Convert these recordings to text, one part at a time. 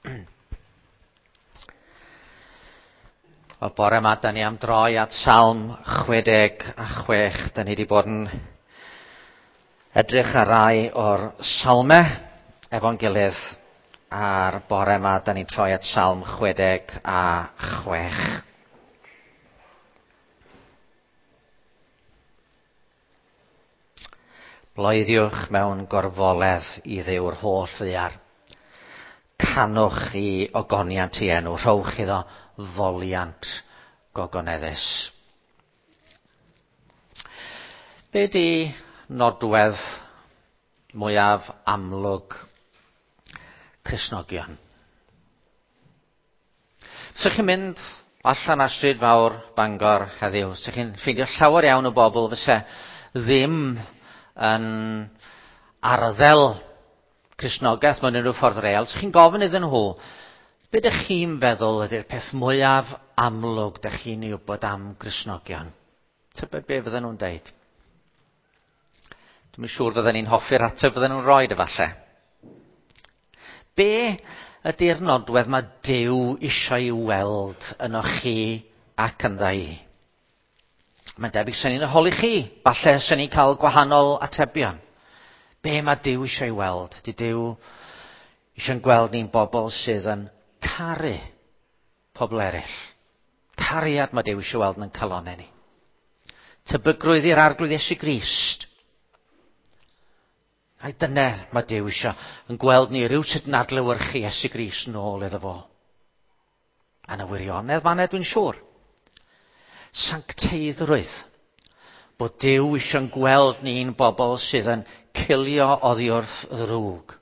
Wel, bore yma, da ni am droi at Salm 66. Da ni wedi bod yn edrych ar rai o'r salmau efo'n gilydd. A'r bore yma, da ni'n troi at Salm 66. Bloeddiwch mewn gorfoledd i Dduw'r holl ddaear. Canwch i ogoniant i enw, rhowch iddo foliant gogoneddus. Be di nodwedd mwyaf amlwg Cristnogion? Sych chi'n mynd allan ar stryd fawr Bangor heddiw, sych chi'n ffeindio llawer iawn o bobl fyse ddim yn arddel Cristnogaeth mewn unrhyw ffordd real. Sych chi'n gofyn iddyn nhw, be dych chi'n feddwl ydy'r peth mwyaf amlwg dych chi'n ei wybod am Gristnogion? Tybed be fydden nhw'n deud? Dwi'm yn siŵr fydden ni'n hoffi'r ateb fydden nhw'n rhoi efallai. Be ydy'r nodwedd mae Duw eisiau ei weld yno chi ac ynddo i? Mae'n debyg sy'n ni'n holi chi. Falle sy'n ni'n cael gwahanol atebion. Be mae Duw eisiau ei weld? Di Duw eisiau'n gweld ni'n bobl sydd yn caru pobl eraill. Cariad mae Duw eisiau weld yn calonau ni. Tebygrwydd i'r Arglwydd Iesu Grist. Ai dyna mae Duw eisiau yn gweld ni rhywsut yn adlewyrchu Iesu Grist nôl iddo fo. A na wirionedd fanna dwi'n siŵr. Sancteiddrwydd. Bod Duw eisiau'n gweld ni'n bobl sydd yn cilio oddi wrth ddrwg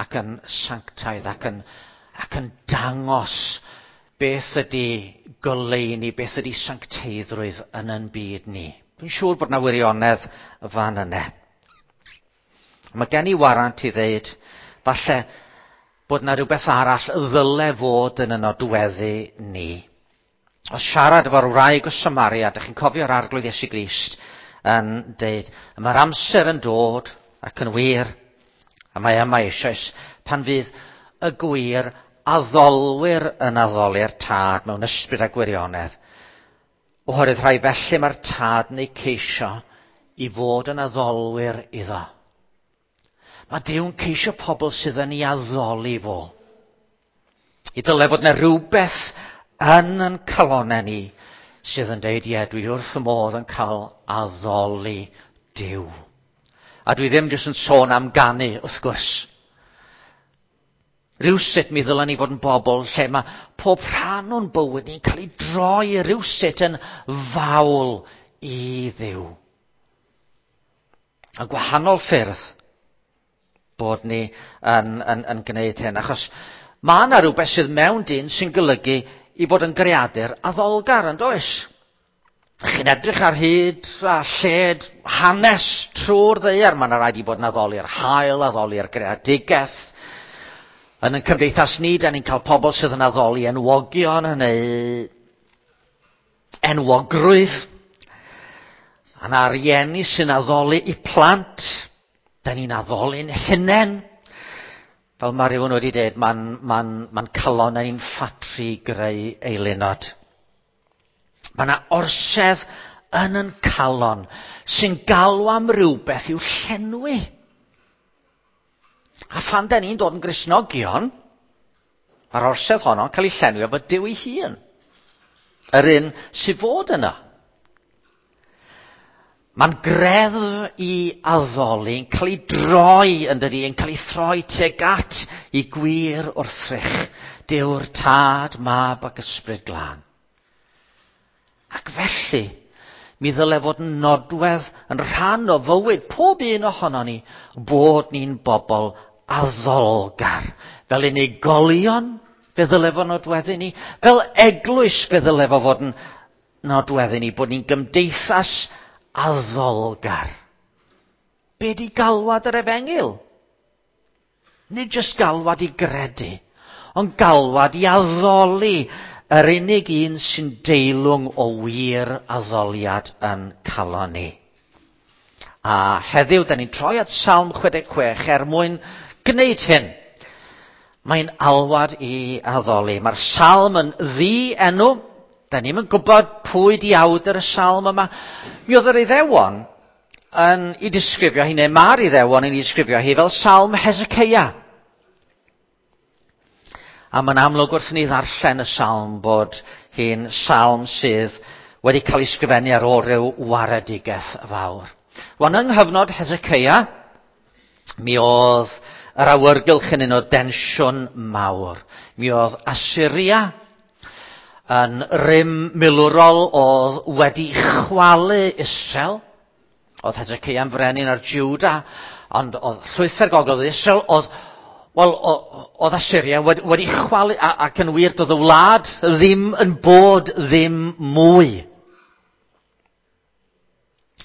ac yn sanctaidd ac yn, ac yn dangos beth ydy goleuni, beth ydy sancteiddrwydd yn yn byd ni. Dwi'n siŵr bod na wirionedd fan yna. Mae gen i warant i ddeud, falle bod na rhywbeth arall ddyle fod yn y nodweddu ni. O siarad efo'r wraig o Samaria, dych chi'n cofio'r Arglwydd Iesu Grist yn deud, mae'r amser yn dod ac yn wir, a mae yma eisoes, pan fydd y gwir addolwyr yn addoli'r tad mewn ysbryd a gwirionedd. Oherwydd rhai felly mae'r tad yn eu ceisio i fod yn addolwyr iddo. Mae Duw'n ceisio pobl sydd yn ei addoli fo. I dyle fod yna rhywbeth yn yn calonau ni sydd yn deud, ie, dwi wrth y modd yn cael addoli Duw. A dwi ddim jyst yn sôn am ganu, wrth gwrs. Rhywsut mi ddylen ni fod yn bobl lle mae pob rhan o'n bywyd ni'n cael ei droi rhywsut yn fawl i Dduw. A gwahanol ffyrdd bod ni yn, yn, yn gwneud hyn. Achos mae yna rhywbeth sydd mewn dyn sy'n golygu i fod yn greadur addolgar, yn does? Chi'n edrych ar hyd a lled hanes trwy'r ddaear, mae yna rhaid i bod yn addoli'r haul, addoli'r greadigaeth. Yn ein cymdeithas ni, da ni'n cael pobl sydd yn addoli enwogion neu enwogrwydd. A na rieni sy'n addoli i plant. Da ni'n addoli'n hunain. Fel mae rhywun wedi dweud, mae'n ma ma calon ni'n ffatri greu eilunod. Mae yna orsedd yn yn calon sy'n galw am rhywbeth i'w llenwi. A phan da ni'n dod yn Gristnogion, mae'r orsedd honno'n cael ei llenwi efo Duw ei hun. Yr un sydd fod yna. Mae'n greddf i addoli yn cael ei droi yn dydi, yn cael ei throi tuag at i gwir wrthrych. Duw'r Tad, Mab ac Ysbryd Glân. Ac felly, mi ddyle fod yn nodwedd yn rhan o fywyd pob un ohono ni bod ni'n bobl addolgar. Fel unigolion, fe ddyle fod nodweddu ni. Fel eglwys, fe ddyle fo fod yn nodweddu ni. Bod ni'n gymdeithas addolgar. Be di galwad yr efengyl? Nid jyst galwad i gredu, ond galwad i addoli yr unig un sy'n deilwng o wir addoliad yn calon ni. A heddiw, da ni'n troi at Salm 66 er mwyn gwneud hyn. Mae'n alwad i addoli. Mae'r salm yn ddi-enw. Da ni'm yn gwybod pwy di awdur y salm yma. Mi oedd yr Iddewon yn ei disgrifio hi, neu mae'r Iddewon yn ei disgrifio hi fel salm Hezekiah. A mae'n amlwg wrth ni ddarllen y salm bod hi'n salm sydd wedi cael ei sgrifennu ar ôl rhyw waredigaeth fawr. Wan yng nghyfnod Hezekiah, mi oedd yr awyrgylch yn un o densiwn mawr. Mi oedd Assyria yn rym milwrol oedd wedi chwalu Israel. Oedd Hezekiah'n frenin ar Juda, ond oedd llwythau'r gogledd Israel, oedd, wel, oedd Assyria wedi, wedi chwalu, ac yn wir, doedd y wlad ddim yn bod ddim mwy.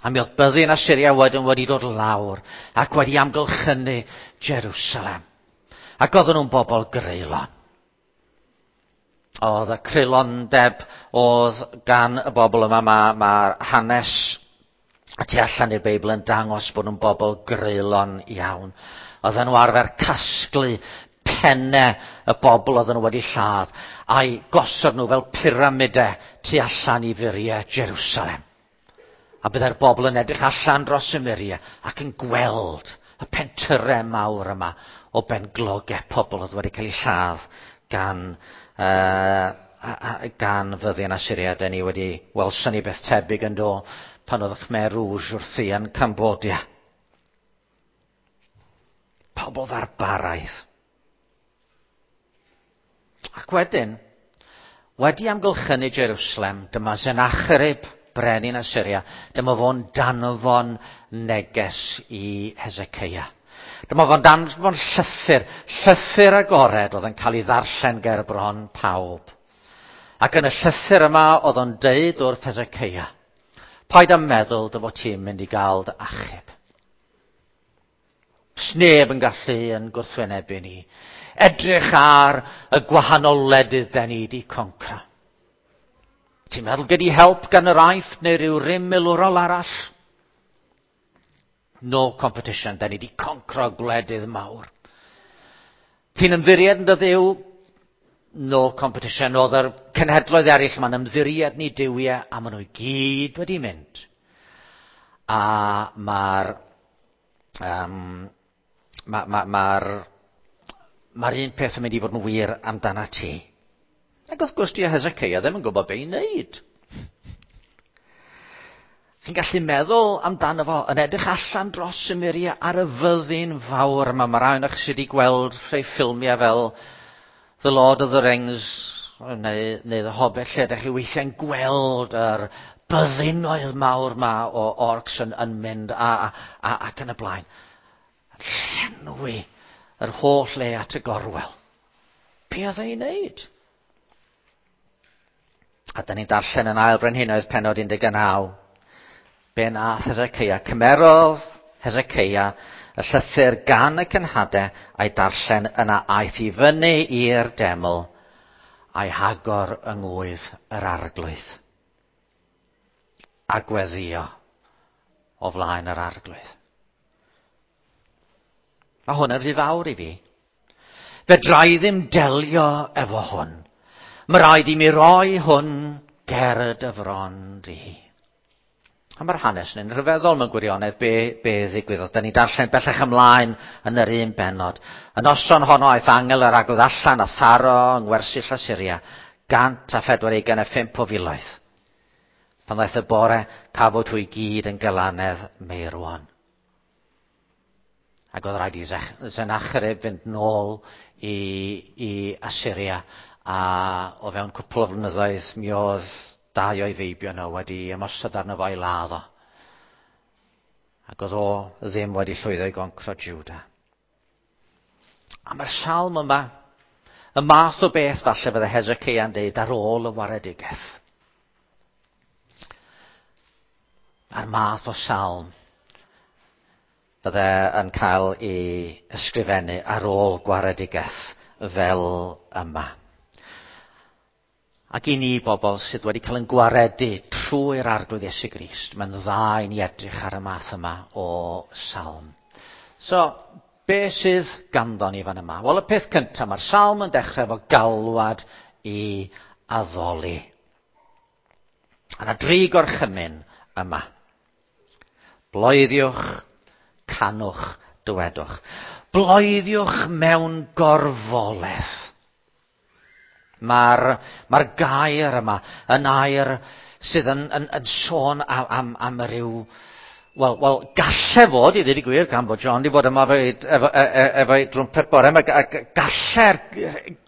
A mi oedd byddin Assyria wedyn wedi dod lawr ac wedi amgylchynu Jerusalem. Ac oedden nhw'n bobl greulon. Oedd y creulondeb oedd gan y bobl yma, mae, mae hanes a tu allan i'r Beibl yn dangos bod nhw'n bobl greulon iawn. Oedden nhw arfer casglu pennau y bobl oedden nhw wedi lladd a'i gosod nhw fel pyramidau tu allan i furiau Jerusalem. A byddai'r bobl yn edrych allan dros y muriau ac yn gweld y pentyrau mawr yma o benglogau pobl oedd wedi cael eu lladd gan, uh, gan fyddin Assyria. Da ni wedi welson ni beth tebyg yn do pan oedd Khmer Rouge wrthi yn Cambodia. Pobl farbaraidd. Ac wedyn, wedi amgylchynu Jerusalem, dyma Sennacherib, brenin Assyria, dyma fo'n danfon neges i Hezekiah. Dyma fo'n danfon llythyr, llythyr agored oedd yn cael ei ddarllen ger bron pawb. Ac yn y llythyr yma oedd o'n deud wrth Hezekiah, paid â meddwl dy fod ti'n mynd i gael dy achub. Sneb yn gallu yn gwrthwynebu ni. Edrych ar y gwahanol wledydd da ni di concra. Ti'n meddwl gei di help gan yr Aifft neu rhyw rym milwrol arall? No competition, da ni di concro gwledydd mawr. Ti'n ymddiried yn dy ddiw? No competition. Oedd yr cenhedloedd eraill ma'n ymddiried ni duwiau a maen nhw i gyd wedi mynd. A mae'r um, mae'r ma, ma, ma un peth yn mynd i fod yn wir amdana ti. Ac wrth gwrs, di Hezekiah ddim yn gwybod be i wneud. Chi'n gallu meddwl amdano fo yn edrych allan dros y muriau ar y fyddin fawr yma. Mae rhai o'ch sydd wedi gweld rhai ffilmiau fel The Lord of the Rings neu, neu The Hobbit, lle ydych chi weithiau'n gweld yr byddinoedd mawr ma o orcs yn, yn mynd a, a, a, ac yn y blaen. Llenwi yr holl le at y gorwel. Be oedd ei wneud? A da ni'n darllen yn ail brenhinoedd penod 19. Be nath Hezekiah? Cymerodd Hezekiah y llythyr gan y cenhadau a'i darllen yna aeth i fyny i'r deml a'i hagor yng ngwydd yr arglwydd. A gweddio o flaen yr arglwydd. Mae hwn yn rhy fawr i fi. Fedra i ddim delio efo hwn. Mae rhaid i mi roi hwn ger dy fron di. A mae'r hanes yn rhyfeddol mewn gwirionedd be, be ddigwyddodd. Da ni darllen bellach ymlaen yn yr un benod. Y noson honno aeth angel yr arglwydd allan a tharo yng ngwersyll Assyria, 145 o filoedd. Pan ddaeth y bore, cafwyd hwy gyd yn gylanedd meirwon. Ac oedd rhaid i Sennacherib fynd nôl i, i Assyria a o fewn cwpl o flynyddoedd mi oedd dau o'i feibion nhw wedi ymosod arno fo i ladd o. Ac oedd o ddim wedi llwyddo i goncro Juda. A mae'r salm yma, y math o beth falle fydde Hezekiah'n deud ar ôl y waredigaeth. A'r math o salm bydde yn cael ei ysgrifennu ar ôl gwaredigaeth fel yma. Ac i ni bobl sydd wedi cael yn gwaredu trwy'r Arglwydd Iesu Grist, mae'n dda i ni edrych ar y math yma o salm. So, be sydd ganddo ni fan yma? Wel, y peth cyntaf, mae'r salm yn dechrau efo galwad i addoli. A yna dri gorchymyn yma. Bloeddiwch, canwch, dywedwch. Bloeddiwch mewn gorfoledd. Mae'r mae gair yma yn air sydd yn, yn, yn sôn am, am, am ryw... Wel, wel, galle fod, i ddweud y gwir, gan fod John wedi bod yma efo'i efo, e, e, efo drwmpet bore yma, galle'r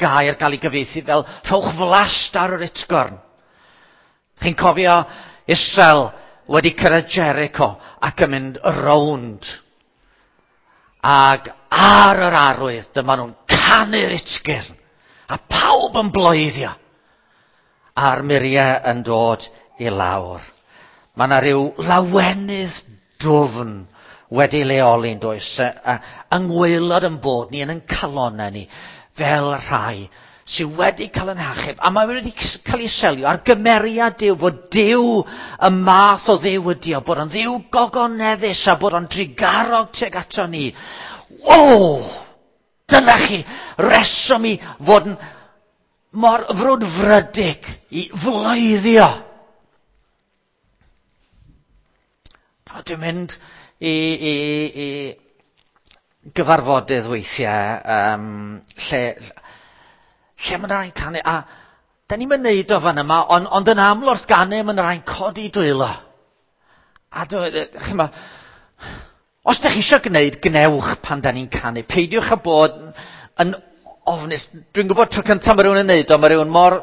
gair gael ei gyfieithu fel rhowch flast ar yr utgorn. Chi'n cofio Israel wedi cyrraedd Jericho ac yn mynd rownd. Ac ar yr arwydd, dyma nhw'n canu'r utgyrn. A pawb yn bloeddio. A'r muriau yn dod i lawr. Mae yna rhyw lawenydd dwfn wedi leoli'n does, yng ngwaelod yn bod ni, yn ein calonnau ni, fel rhai sydd wedi cael yn hachub, a mae wedi cael ei selio ar gymeriad Duw, fod Duw y math o Dduw ydi o, bod o'n Dduw gogoneddus a bod o'n drugarog tuag ato ni. O! Dyna chi reswm i fod yn mor frwdfrydig i floeddio. A dwi'n mynd i, i, i gyfarfodydd weithiau um, lle, lle mae'n rhaid canu, a da ni'n mynd neud o fan yma, ond, ond yn aml wrth ganu mae'n rhaid codi dwylo. A dwi, chyma, os da chi eisiau gwneud, gnewch pan da ni'n canu. Peidiwch â bod yn ofnus. Dwi'n gwybod tro cyntaf mae rhywun yn neud o, mae rhywun mor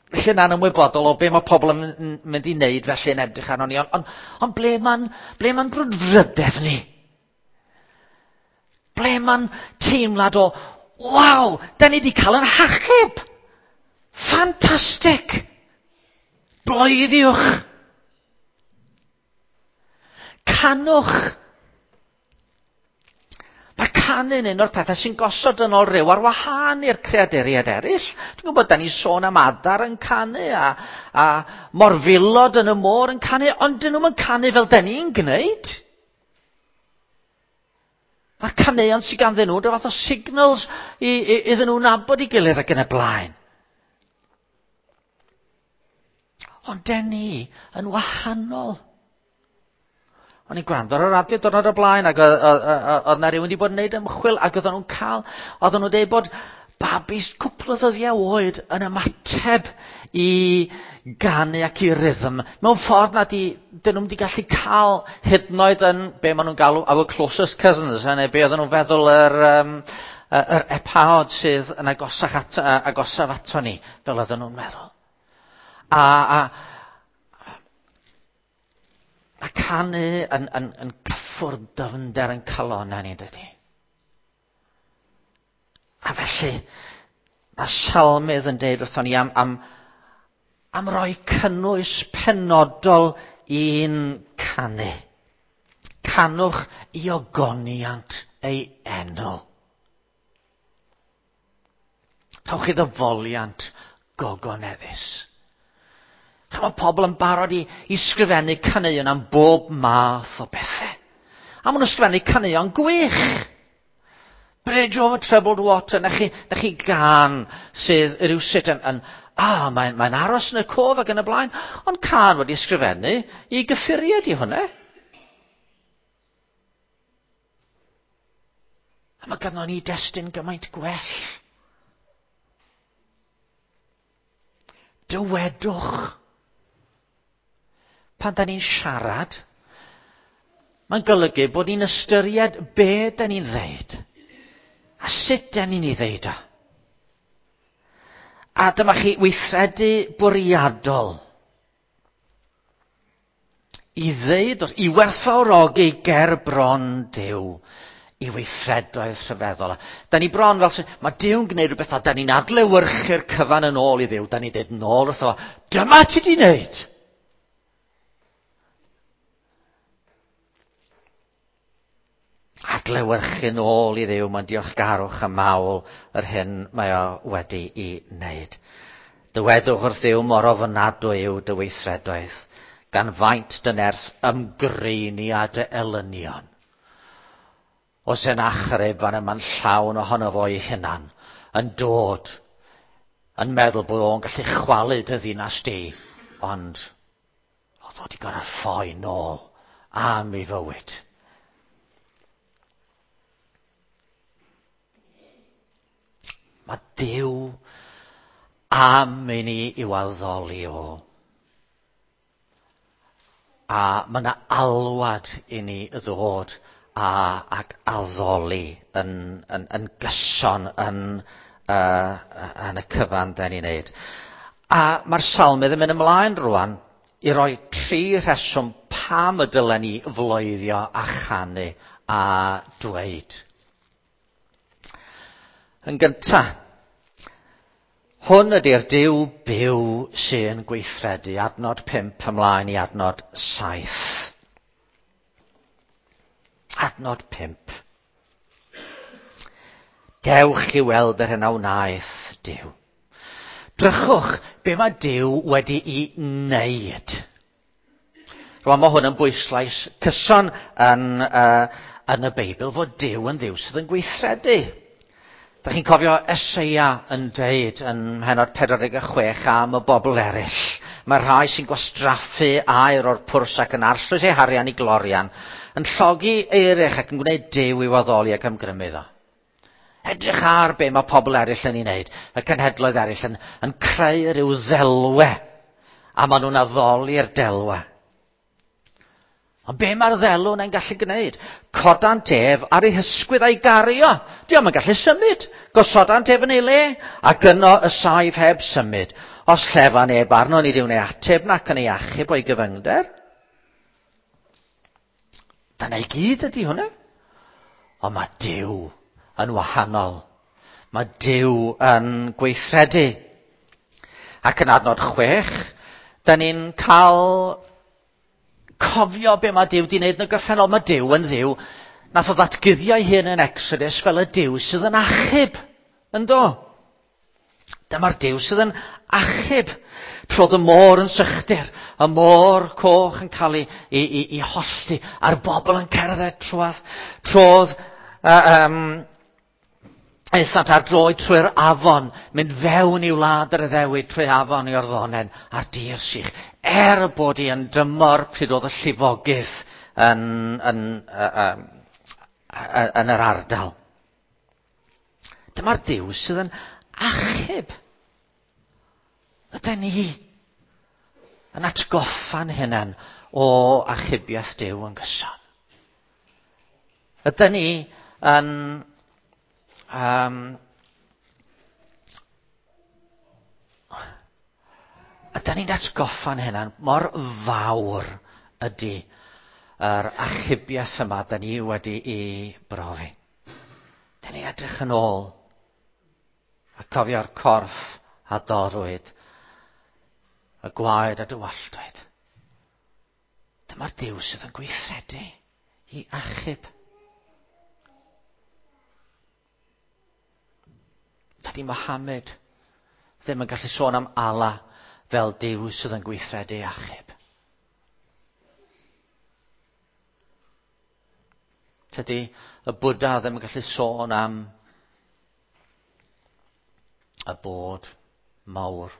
lle'n anymwybodol o be mae pobl yn mynd i wneud felly yn edrych arno ni, ond on, on ble mae'n ble mae'n brwdfrydedd ni? Ble mae'n teimlad o, waw, da ni wedi cael yn hachub! Ffantastig! Bloeddiwch! Canwch! Mae canu'n un o'r pethau sy'n gosod yn ôl rhyw ar wahân i'r creaduriaid eraill. Dwi'n gwybod, da ni sôn am adar yn canu a, a morfilod yn y môr yn canu, ond dyn nhw'n canu fel da ni'n gwneud. Mae'r caneuon sydd ganddyn nhw, rhyw fath o signals i, i, iddyn nhw nabod i gilydd ac yn y blaen. Ond den ni yn wahanol. O'n i'n gwrando ar y radio diwrnod o'r blaen ac oedd na rhywun wedi bod yn gwneud ymchwil ac oedden nhw'n cael, oedden nhw'n dweud bod babis cwpl o ddyddiau oed yn ymateb i ganu ac i rhythm mewn ffordd nad i, dyn nhw'n wedi gallu cael hyd yn oed yn be maen nhw'n galw our closest cousins, neu be oedden nhw'n feddwl yr, um, yr epaod sydd yn agosach at, agosaf ato ni, fel oedden nhw'n meddwl. A, a, Mae canu yn, yn, yn cyffwrdd dyfnder yn calonau ni, dydy. A felly, mae salmydd yn deud wrthon ni am, am, am roi cynnwys penodol i'n canu. Canwch i ogoniant ei enw. Rhowch iddo foliant gogoneddus. Mae pobl yn barod i, i sgrifennu caneuon am bob math o bethau. A maen nhw'n sgrifennu caneuon gwych. Bridge over troubled water, na chi, na chi gan sydd rhywsut yn, yn ah, mae'n mae aros yn y cof ac yn y blaen, ond can wedi sgrifennu i gyffuriau di hwnna. A mae ganddo ni destun gymaint gwell. Dywedwch. Pan da ni'n siarad, mae'n golygu bod ni'n ystyried be da ni'n ddeud a sut da ni'n ei ddeud o. A dyma chi weithredu bwriadol i ddeud wrth, i werthfawrogi ger bron Duw i weithredoedd rhyfeddol. Da ni bron fel sy'n, mae Duw'n gwneud rhywbeth a da ni'n adlewyrchu'r cyfan yn ôl i Dduw. Da ni'n dweud nôl wrtho fo, dyma ti di wneud! Adlewyrchu'n ôl i Dduw, mae'n diolchgarwch a mawl yr hyn mae o wedi i wneud. Dywedwch wrth Dduw mor ofnadwy yw dy weithredoedd, gan faint dy nerth ymgreini a dy elynion. O Sennacherib fan yma'n llawn ohono fo ei hunan, yn dod, yn meddwl bod o'n gallu chwalu dy ddinas di, ond oedd o wedi gorfod ffoi nôl am ei fywyd. Mae Duw am i ni i'w addoli o. A mae yna alwad i ni ddod a, ac addoli yn, yn, yn gyson yn, uh, yn y cyfan da ni'n neud. A mae'r salmydd yn mynd ymlaen rwan i roi tri rheswm pam y dylen ni floeddio a chanu a dweud. Yn gyntaf, hwn ydy'r Duw byw sy'n gweithredu, adnod 5 ymlaen i adnod 7. Adnod 5. Dewch i weld yr hyn a wnaeth Duw. Drychwch be mae Duw wedi'i wneud. Rwan mae hwn yn bwyslais cyson yn, uh, yn y Beibl fod Duw yn Dduw sydd yn gweithredu. Da chi'n cofio Eseia yn deud yn mhenod 46 am y bobl eraill. Mae rhai sy'n gwastraffu aer o'r pwrs ac yn arllwys eu harian i glorian, yn llogi eirych ac yn gwneud Duw i'w addoli ac ymgrymu iddo. Edrych ar be mae pobl eraill yn ei wneud, y cenhedloedd eraill yn, yn creu rhyw ddelwe, a maen nhw'n addoli'r delwe. Ond be mae'r ddelw yna'n gallu gwneud? Codant ef ar ei hysgwydd a'i gario. Diolch yn gallu symud. Gosodant ef yn ei le, ac yno y saif heb symud. Os llefa neb arno, nid yw'n ei ateb nac yn ei achub o'i gyfyngder. Dyna i gyd ydy hwnna. Ond mae Duw yn wahanol. Mae Duw yn gweithredu. Ac yn adnod chwech, da ni'n cael cofio be mae Duw wedi wneud yn y gorffennol. Mae Duw yn Dduw. Nath o ddatguddio ei hun yn Exodus fel y Duw sydd yn achub. Ynddo? Dyma'r Duw sydd yn achub. Trodd y môr yn sychder, y môr coch yn cael ei, ei, ei, ei hollti, a'r bobl yn cerdded trwadd. Trodd uh, um, aethant ar droed trwy'r afon, mynd fewn i wlad yr Iddewid trwy afon Iorddonen a'r dir sych. Er bod hi yn dymor pryd oedd y llifogydd yn, yn, uh, uh, yn yr ardal. Dyma'r Duw sydd yn achub. Ydy ni yn atgoffa'n hunain o achubiaeth Duw yn gyson. Ydy ni yn um, ydy ni'n atgoffa'n hunain mor fawr ydy yr achubiaeth yma da ni wedi ei brofi. Da ni'n edrych yn ôl a cofio'r corff a dorrwyd, y gwaed a dywalltwyd. Dyma'r Duw sydd yn gweithredu i achub. Dydy Mohammed ddim yn gallu sôn am Allah fel Duw sydd yn gweithredu achub. Tydy y Bwdha ddim yn gallu sôn am y bod mawr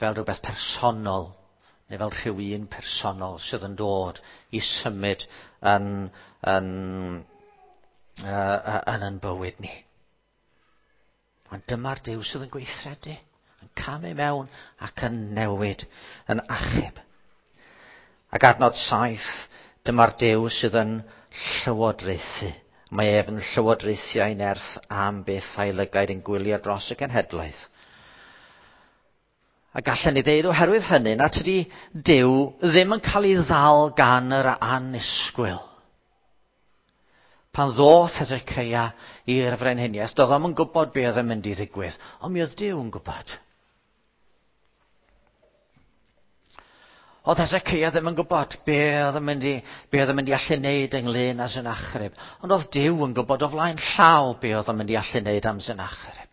fel rhywbeth personol neu fel rhyw un personol sydd yn dod i symud yn, yn, uh, yn yn bywyd ni. Ond dyma'r Duw sydd yn gweithredu, yn camu mewn ac yn newid, yn achub. Ac adnod saith, dyma'r Duw sydd yn llywodraethu. Mae ef yn llywodraethu a'i nerth am beth a'i lygaid yn gwylio dros y genhedlaeth. A gallen ni ddeud oherwydd hynny na tydi Duw ddim yn cael ei ddal gan yr annisgwyl. Pan ddoth Hezekiah i'r frenhiniaeth, doedd o'm yn gwybod be oedd yn mynd i ddigwydd, ond mi oedd Duw yn gwybod. Oedd Hezekiah ddim yn gwybod be oedd yn mynd i, be oedd yn mynd i allu wneud ynglyn â Sennacherib, ond oedd Duw yn gwybod o flaen llaw be oedd yn mynd i allu wneud am Sennacherib.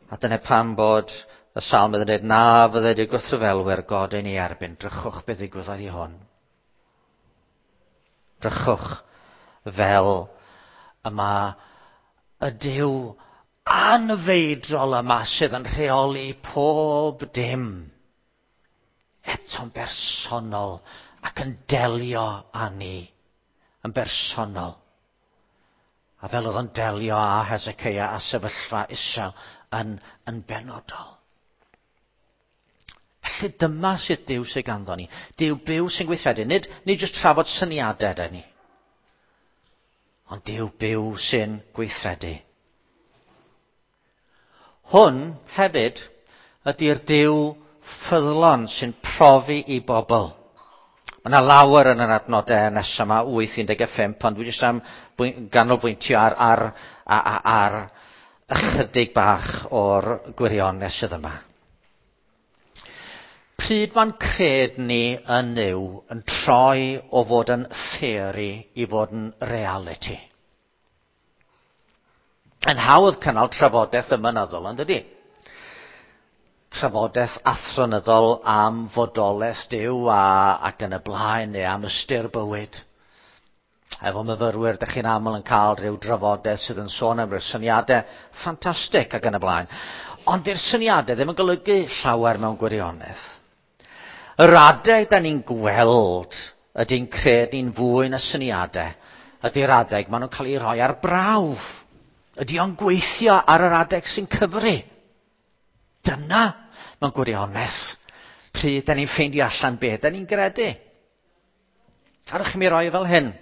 A dyna pam bod y salmydd yn dweud na fydde dy gwrthryfelwyr god ein i erbyn, drychwch beth ddigwyddodd i hwn. Drychwch fel y mae y Duw anfeidrol yma sydd yn rheoli pob dim eto'n bersonol ac yn delio â ni yn bersonol. A fel oedd o'n delio â Hezekiah a sefyllfa Israel yn, yn benodol. Felly dyma sydd Duw sydd ganddo ni. Duw byw sy'n gweithredu. Nid, nid jyst trafod syniadau da ni. Ond Duw byw sy'n gweithredu. Hwn hefyd ydy'r Duw ffyddlon sy'n profi i bobl. Mae yna lawer yn yr adnodau nesaf yma, 8.15, ond dwi jyst am ganolbwyntio ar, ar, ar, ar ychydig bach o'r gwirionedd sydd yma. Pryd mae'n cred ni yn Nuw yn troi o fod yn theori i fod yn reality? Yn hawdd cynnal trafodaeth ymynyddol, yn dydy? Trafodaeth athronyddol am fodolaeth Duw a, ac yn y blaen, neu am ystyr bywyd. Efo myfyrwyr, dych chi'n aml yn cael rhyw drafodaeth sydd yn sôn am ryw syniadau ffantastig ac yn y blaen. Ond di'r syniadau ddim yn golygu llawer mewn gwirionedd. Yr adeg da ni'n gweld ydy'n credu'n fwy na syniadau ydy'r adeg maen nhw'n cael eu rhoi ar brawf. Ydy o'n gweithio ar yr adeg sy'n cyfri? Dyna, mewn gwirionedd, pryd da ni'n ffeindio allan beth da ni'n gredu. Cadwch chi mi roi fel hyn.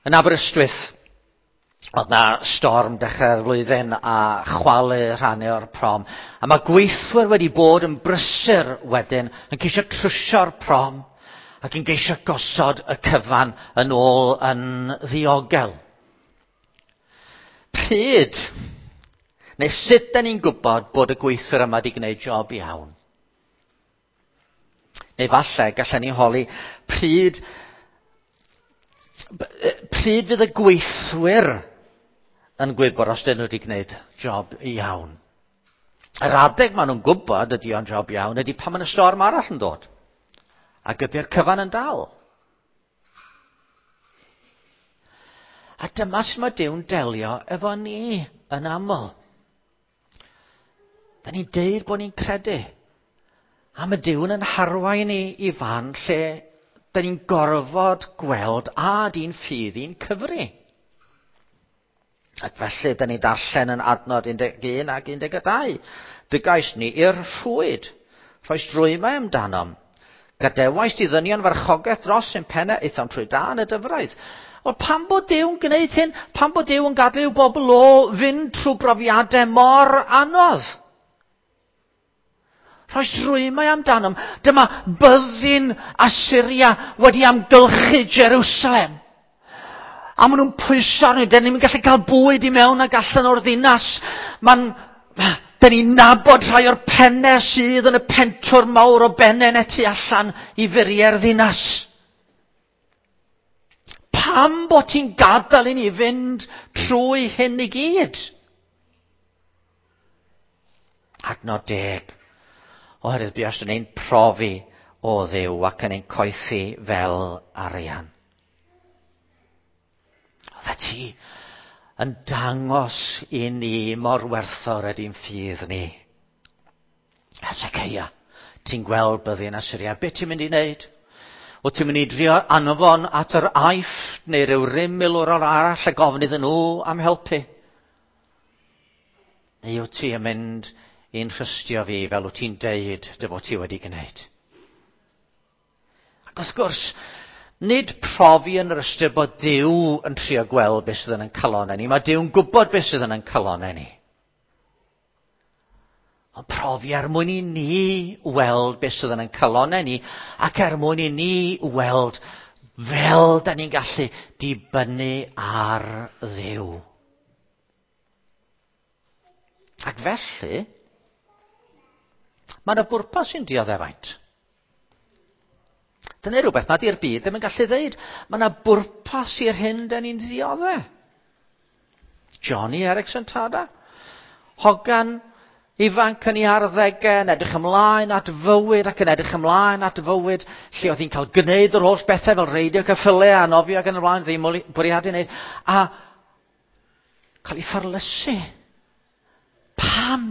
Yn Aberystwyth, oedd na storm dechrau'r flwyddyn a chwalu rhannau o'r prom. A mae gweithwyr wedi bod yn brysur wedyn yn ceisio trwsio'r prom ac yn geisio gosod y cyfan yn ôl yn ddiogel. Pryd, neu sut da ni'n gwybod bod y gweithwyr yma wedi gwneud job iawn? Neu falle gallen ni holi pryd, pryd fydd y gweithwyr yn gwybod os dyn nhw wedi gwneud job iawn. Yr adeg maen nhw'n gwybod ydy o'n job iawn ydy pan mae'n y storm arall yn dod. Ac ydy'r cyfan yn dal. A dyma sut mae Duw'n delio efo ni yn aml. Da ni'n deud bod ni'n credu. A mae Duw'n yn harwain ni i fan lle da ni'n gorfod gweld a di'n ffydd i'n cyfri. Ac felly, da ni'n darllen yn adnod 11 ac 12. Dygais ni i'r rhwyd. Rhoes drwymau amdanom. Gadewais di ddynion farchogaeth dros ein pennau, aethom trwy dan y dyfroedd. Wel, pam bod Duw'n gwneud hyn? Pam bod Duw yn gadael i'w bobl o fynd trwy brofiadau mor anodd? Rhoes rwymau amdanom. Dyma byddin Assyria wedi amgylchu Jerusalem. A maen nhw'n pwyso arni. Dyn ni'n gallu cael bwyd i mewn ac allan o'r ddinas. Mae'n... Dyn ni'n nabod rhai o'r pennau sydd yn y pentwr mawr o bennau neu tu allan i furiau'r ddinas. Pam bod ti'n gadael i ni fynd trwy hyn i gyd? Adnod deg. Oherwydd buast yn ein profi o Dduw ac yn ein coethi fel arian. Oeddet ti yn dangos i ni mor werthfawr ydy'n ffydd ni. Hezekiah, ti'n gweld byddin Asyria, beth ti'n mynd i wneud? Wyt ti'n mynd i drio anfon at yr Aifft neu ryw rym milwrol arall a gofyn iddyn nhw am helpu? Neu wyt ti yn mynd i'n rhystio fi fel wyt ti'n deud dy fod ti wedi gwneud? Ac wrth gwrs, nid profi yn yr ystyr bod Duw yn trio gweld beth sydd yn ein calonnau ni. Mae Duw'n gwybod beth sydd yn ein calonnau ni. Ond profi er mwyn i ni weld beth sydd yn ein calonnau ni ac er mwyn i ni weld fel da ni'n gallu dibynnu ar Dduw. Ac felly, mae yna bwrpas i'n dioddefaint. Dyna rhywbeth nad i'r byd ddim yn gallu ddeud. Mae yna bwrpas i'r hyn da ni'n ddiodde. Johnny Erickson Tada. Hogan Ifanc yn ei arddegau, yn edrych ymlaen at fywyd ac yn edrych ymlaen at fywyd lle oedd hi'n cael gwneud yr holl bethau fel reidio ceffylau a nofio ac yn y blaen, ddim bwriadu wneud, a cael ei ffarlysu. Pam?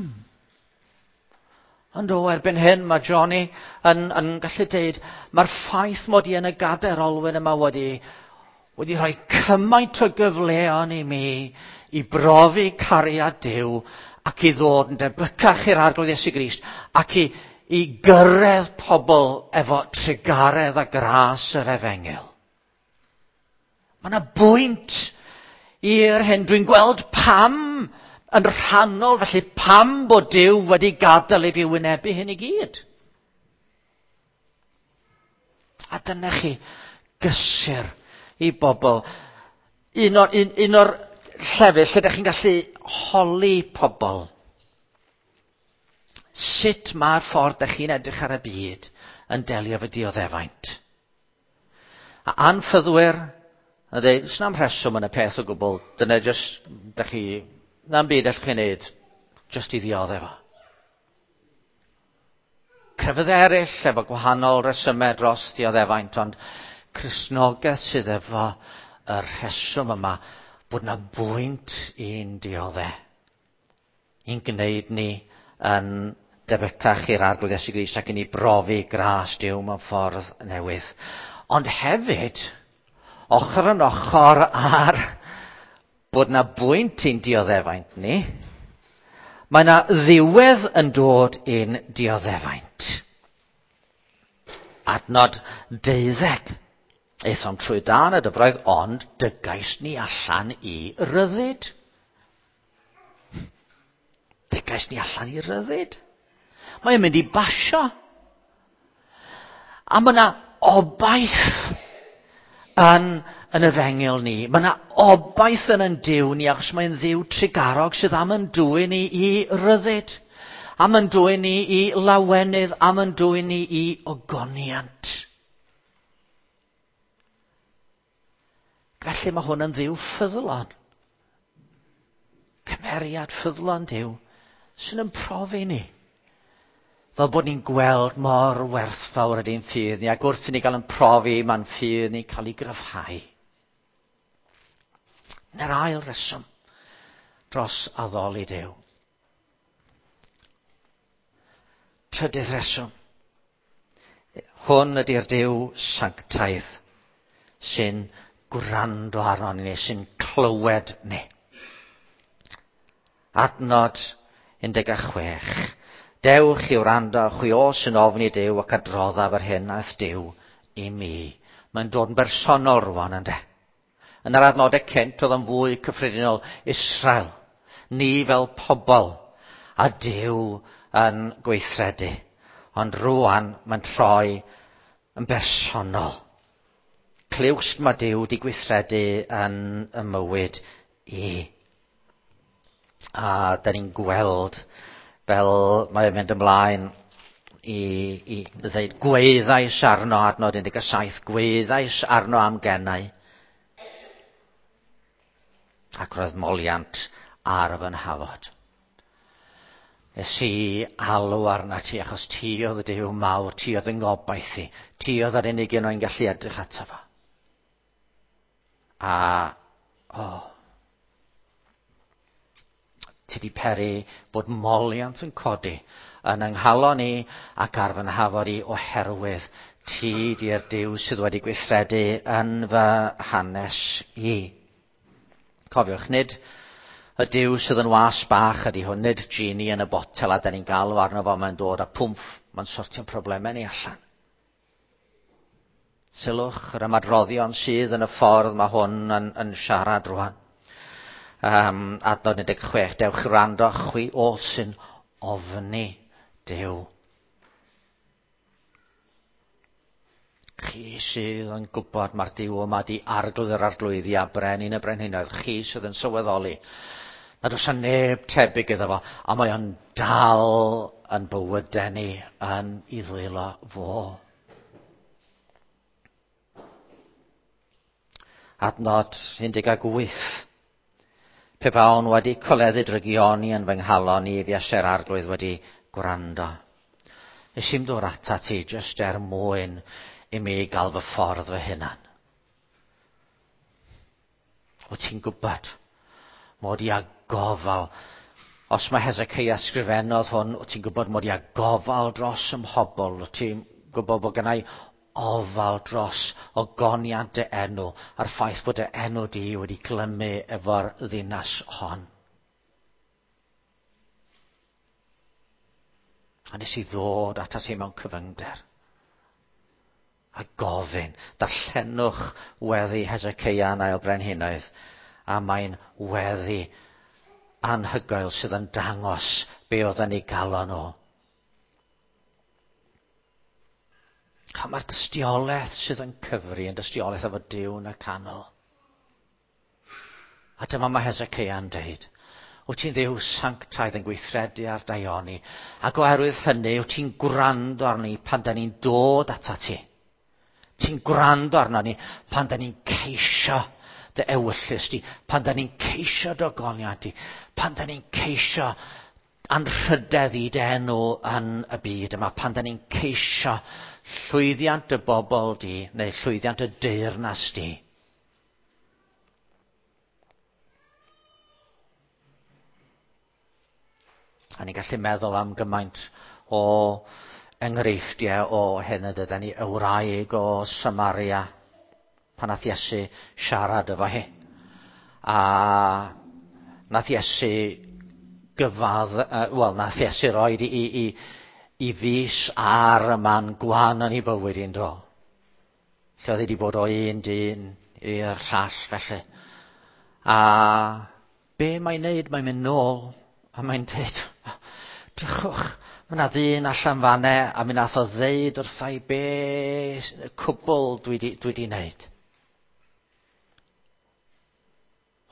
Ond o, erbyn hyn mae Johnny yn, yn gallu deud, mae'r ffaith mod i yn y gadair olwyn yma wedi, wedi rhoi cymaint o gyfleon i mi i brofi cariad Duw ac i ddod yn debycach i'r Arglwydd Iesu Grist ac i, i gyrraedd pobl efo trugaredd a gras yr efengyl. Mae yna bwynt i'r hyn. Dwi'n gweld pam yn rhannol, felly pam bod Duw wedi gadael i fi wynebu hyn i gyd. A dyna chi gysur i bobl. Un o'r, un, un o'r llefydd lle ydych chi'n gallu holi pobl. Sut mae'r ffordd ydych chi'n edrych ar y byd yn delio efo dioddefaint? A anffyddwyr yn dweud, does na'm rheswm yn y peth o gwbl, dyna jyst, ydych chi, na'm byd allwch chi wneud, jyst i ddioddef o. Crefydd eraill efo gwahanol resymau dros dioddefaint, ond Cristnogaeth sydd efo y rheswm yma bod na bwynt i'n diodde, i'n gwneud ni yn debycach i'r Arglwydd Iesu Grist ac i ni brofi gras Duw mewn ffordd newydd. Ond hefyd, ochr yn ochr ar bod na bwynt i'n dioddefaint ni, mae na ddiwedd yn dod i'n dioddefaint. Adnod 12. Aethom trwy dan y dyfroedd, ond dygais ni allan i ryddid. Dygais ni allan i ryddid. Mae'n mynd i basio. A mae yna obaith yn, yn y fengil ni. Mae yna obaith yn yn Duw ni, achos mae'n Dduw trugarog sydd am yn dwyn ni i ryddid, am yn dwyn ni i lawenydd, am yn dwyn ni i ogoniant. Felly mae hwn yn Dduw ffyddlon. Cymeriad ffyddlon Duw sy'n yn profi ni. Fel bod ni'n gweld mor werthfawr ydy'n ffydd ni, ac wrth i ni gael yn profi, mae'n ffydd ni'n cael ei gryfhau. Na'r ail reswm dros addoli Duw. Trydydd reswm. Hwn ydy'r Duw sanctaidd sy'n gwrando arnon ni, sy'n clywed ni. Adnod 16. Dewch i wrando, chwi o sy'n ofni Duw ac adroddaf yr hyn aeth Duw i mi. Mae'n dod yn bersonol rwan, ynddo. Yn yr adnodau cynt, oedd yn fwy cyffredinol Israel. Ni fel pobl a Duw yn gweithredu. Ond rwan, mae'n troi yn bersonol. Clywst mae Duw wedi gweithredu yn y mywyd i. A da ni'n gweld fel mae'n mynd ymlaen i, i ddweud gweithais arno, adnod 17, gweithais arno am gennau. Ac roedd moliant ar fy nhafod. Nes i alw arna ti, achos ti oedd y Duw mawr, ti oedd yng ngobaith i, ti oedd yr unig un o'n gallu edrych ato fo. A, o, oh, ti di peri bod moliant yn codi yn yng nghalon i ac ar fy nhafod i oherwydd ti di'r Duw sydd wedi gweithredu yn fy hanes i. Cofiwch, nid y Duw sydd yn was bach ydy hwn, nid genie yn y botel a da ni'n galw arno fo, mae'n dod a pwmff, mae'n sortio'n problemau ni allan. Sylwch yr ymadroddion sydd yn y ffordd mae hwn yn, yn siarad rwan. Um, adnod 16, dewch i wrando chwi oll sy'n ofni Duw. Chi sydd yn gwybod mae'r Duw yma di arglwydd yr arglwyddi a brenin y brenhinoedd, chi sydd yn sylweddoli nad oes neb tebyg iddo fo, a mae o'n dal yn bywydau ni yn ei ddwylo fo. Adnod 18. Pe bawn wedi coleddu drygioni yn fy nghalon i, fuasai'r arglwydd wedi gwrando. Nes i'm dod atat ti jyst er mwyn i mi gael fy ffordd fy hunan. Wyt ti'n gwybod mod i â gofal. Os mae Hezekiah sgrifennodd hwn, wyt ti'n gwybod mod i â gofal dros ym mhobl. Wyt ti'n gwybod bod gennau ofal dros ogoniant dy enw a'r ffaith bod dy enw di wedi glymu efo'r ddinas hon. A nes i ddod atat ti mewn cyfyngder. A gofyn, darllenwch weddi Hezekiah yn ail brenhinoedd, a mae'n weddi anhygoel sydd yn dangos be oedd yn ei galon o. A mae'r dystiolaeth sydd yn cyfri yn dystiolaeth efo Duw yn y canol. A dyma mae Hezekiah'n deud, wyt ti'n ddiw sanctaidd yn gweithredu ar daioni, ac oherwydd hynny wyt ti'n gwrando arni pan da ni'n dod atat ti. Ti'n gwrando arno ni pan da ni'n ceisio dy ewyllys di, pan da ni'n ceisio dy ogoniant di, pan da ni'n ceisio anrhydedd i dy enw yn y byd yma, pan da ni'n ceisio llwyddiant y bobl di, neu llwyddiant y deyrnas di. A ni'n gallu meddwl am gymaint o enghreifftiau o hyn y dydyn ni, y wraig o Samaria, pan nath Iesu siarad efo hi. A nath Iesu gyfadd, wel, nath Iesu roed i, i, i, i fus ar y man gwan yn ei bywyd i'n do. Lle oedd hi wedi bod o un dyn i'r llall felly. A be mae'n neud? Mae'n mynd nôl a mae'n dweud, drychwch, mae yna ddyn allan fanne a mi nath o ddeud wrtha i be cwbl dwi di, dwi di wneud.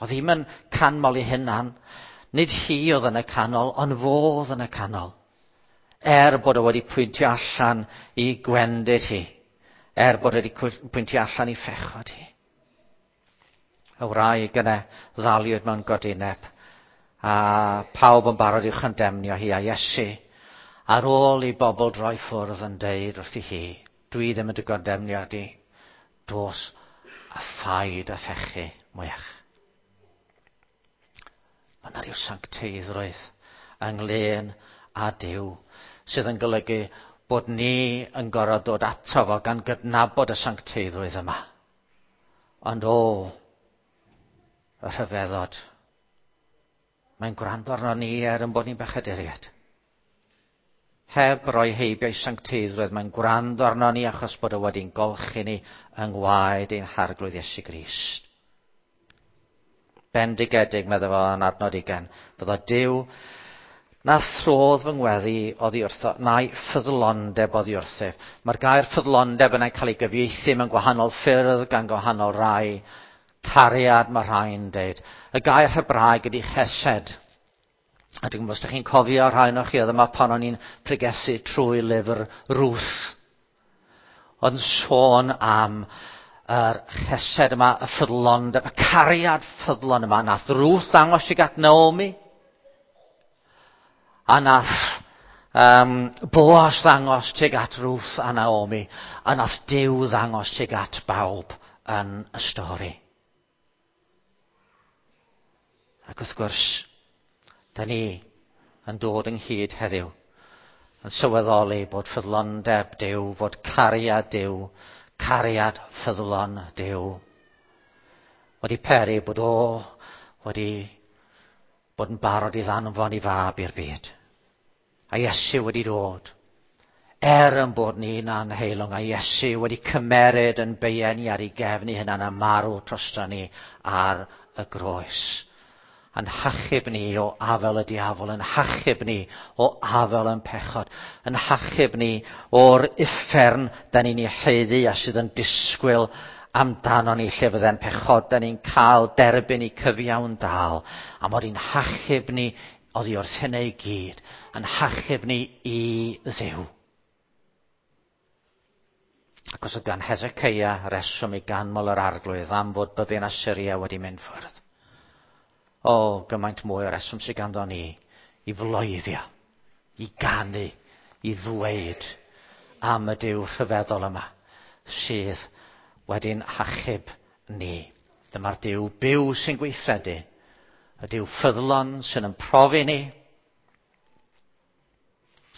Oedd ddim yn canmol ei hunan. Nid hi oedd yn y canol, ond fo oedd yn y canol. Er bod o wedi pwyntio allan i gwendid hi. Er bod wedi pwyntio allan i phechod hi. Y wraig yna ddaliwyd mewn godineb. A pawb yn barod i'w chandemnio hi a Iesu. Ar ôl i bobl droi ffwrdd yn deud wrthi hi, dwi ddim yn dy gondemnio di, dos a phaid a phechu mwyach. Mae yna rhyw sancteiddrwydd ynglyn â Duw sydd yn golygu bod ni yn gorfod dod ato fo gan gydnabod y sancteiddrwydd yma. Ond o, y rhyfeddod. Mae'n gwrando arno ni er yn bod ni'n bechaduriaid. Heb roi heibio i sancteiddrwydd, mae'n gwrando arno ni achos bod o wedi'n golchi ni yng ngwaed ein harglwydd Iesu Grist. Bendigedig, medde fo yn adnod 20, fyddo Duw na throdd fy ngweddi oddi wrtho, na'i ffyddlondeb oddi wrthyf. Mae'r gair ffyddlondeb yna'n cael ei gyfieithu mewn gwahanol ffyrdd gan gwahanol rai. Cariad mae rhai'n deud. Y gair Hebraeg ydy chesed. A dwi'n gwybod os ydych chi'n cofio rhai ohonoch chi oedd yma pan o'n i'n pregethu trwy lyfr Ruth. Ond sôn am yr chesed yma, y ffyddlondeb, y cariad ffyddlon yma. Nath Ruth ddangos i at Naomi. A nath um, Boaz ddangos tuag at Ruth a Naomi. A nath Duw ddangos tuag at bawb yn y stori. Ac wrth gwrs, da ni yn dod ynghyd heddiw yn sylweddoli bod ffyddlondeb Duw, fod cariad Duw, cariad ffyddlon Duw, wedi peri bod o wedi bod yn barod i ddanfon i fab i'r byd. A Iesu wedi dod. Er yn bod ni'n anheilwng, a Iesu wedi cymeryd yn beien ni ar ei gefn ei hunan a marw drosto ni ar y groes. Yn hachub ni o afel y diafol, yn hachub ni o afel yn pechod, yn hachub ni o'r uffern da ni'n ei haeddu a sydd yn disgwyl amdano ni lle fydde'n pechod, da ni'n cael derbyn i cyfiawn dal, a mod i'n hachub ni oddi wrth hynny i gyd, yn hachub ni i Dduw. Ac os oedd gan Hezekiah reswm i ganmol yr arglwydd am fod byddin Assyria wedi mynd ffwrdd. O, gymaint mwy o reswm sydd ganddo ni i floeddio, i ganu, i ddweud am y Duw rhyfeddol yma sydd wedi'n hachub ni. Dyma'r Duw byw sy'n gweithredu, y Duw ffyddlon sy'n yn profi ni,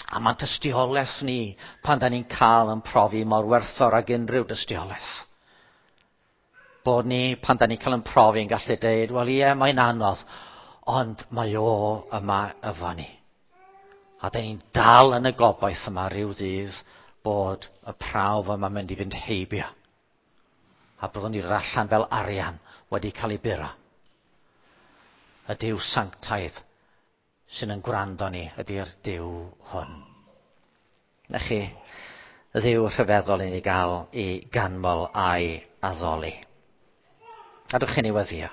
a mae'n tystiolaeth ni pan da ni'n cael yn profi mor werthfawr ag unrhyw dystiolaeth. Bod ni, pan da ni'n cael yn profi, yn gallu deud, wel ie, mae'n anodd, ond mae o yma efo ni. A da ni'n dal yn y gobaith yma rhyw ddydd bod y prawf yma'n mynd i fynd heibio. A byddwn ni allan fel arian wedi cael ei buro. Y Duw sanctaidd sy'n yn gwrando ni ydy'r Duw hwn. Na chi, y Dduw rhyfeddol i ni gael i ganmol a'i addoli. Gadwch i ni weddio.